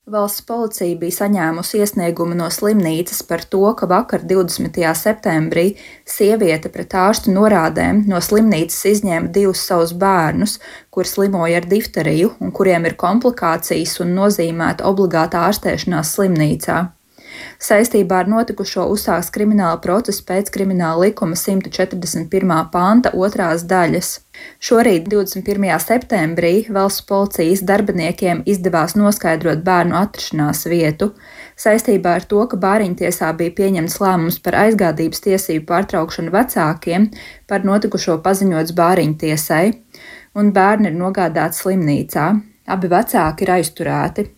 Valsts policija bija saņēmusi iesniegumu no slimnīcas par to, ka vakar 20. septembrī sieviete pret ārstu norādēm no slimnīcas izņēma divus savus bērnus, kuri slimoja ar difteriju un kuriem ir komplikācijas un nozīmēta obligāta ārstēšanās slimnīcā. Saistībā ar notikušo uzsāks krimināla process pēc Krimināla likuma 141. panta 2. daļas. Šorīt, 21. septembrī, valsts policijas darbiniekiem izdevās noskaidrot bērnu atrašanās vietu. Saistībā ar to, ka Bāriņtiesā bija pieņemts lēmums par aizgādības tiesību pārtraukšanu vecākiem, par notikušo paziņots Bāriņtiesai, un bērni ir nogādāti slimnīcā. Abi vecāki ir aizturēti.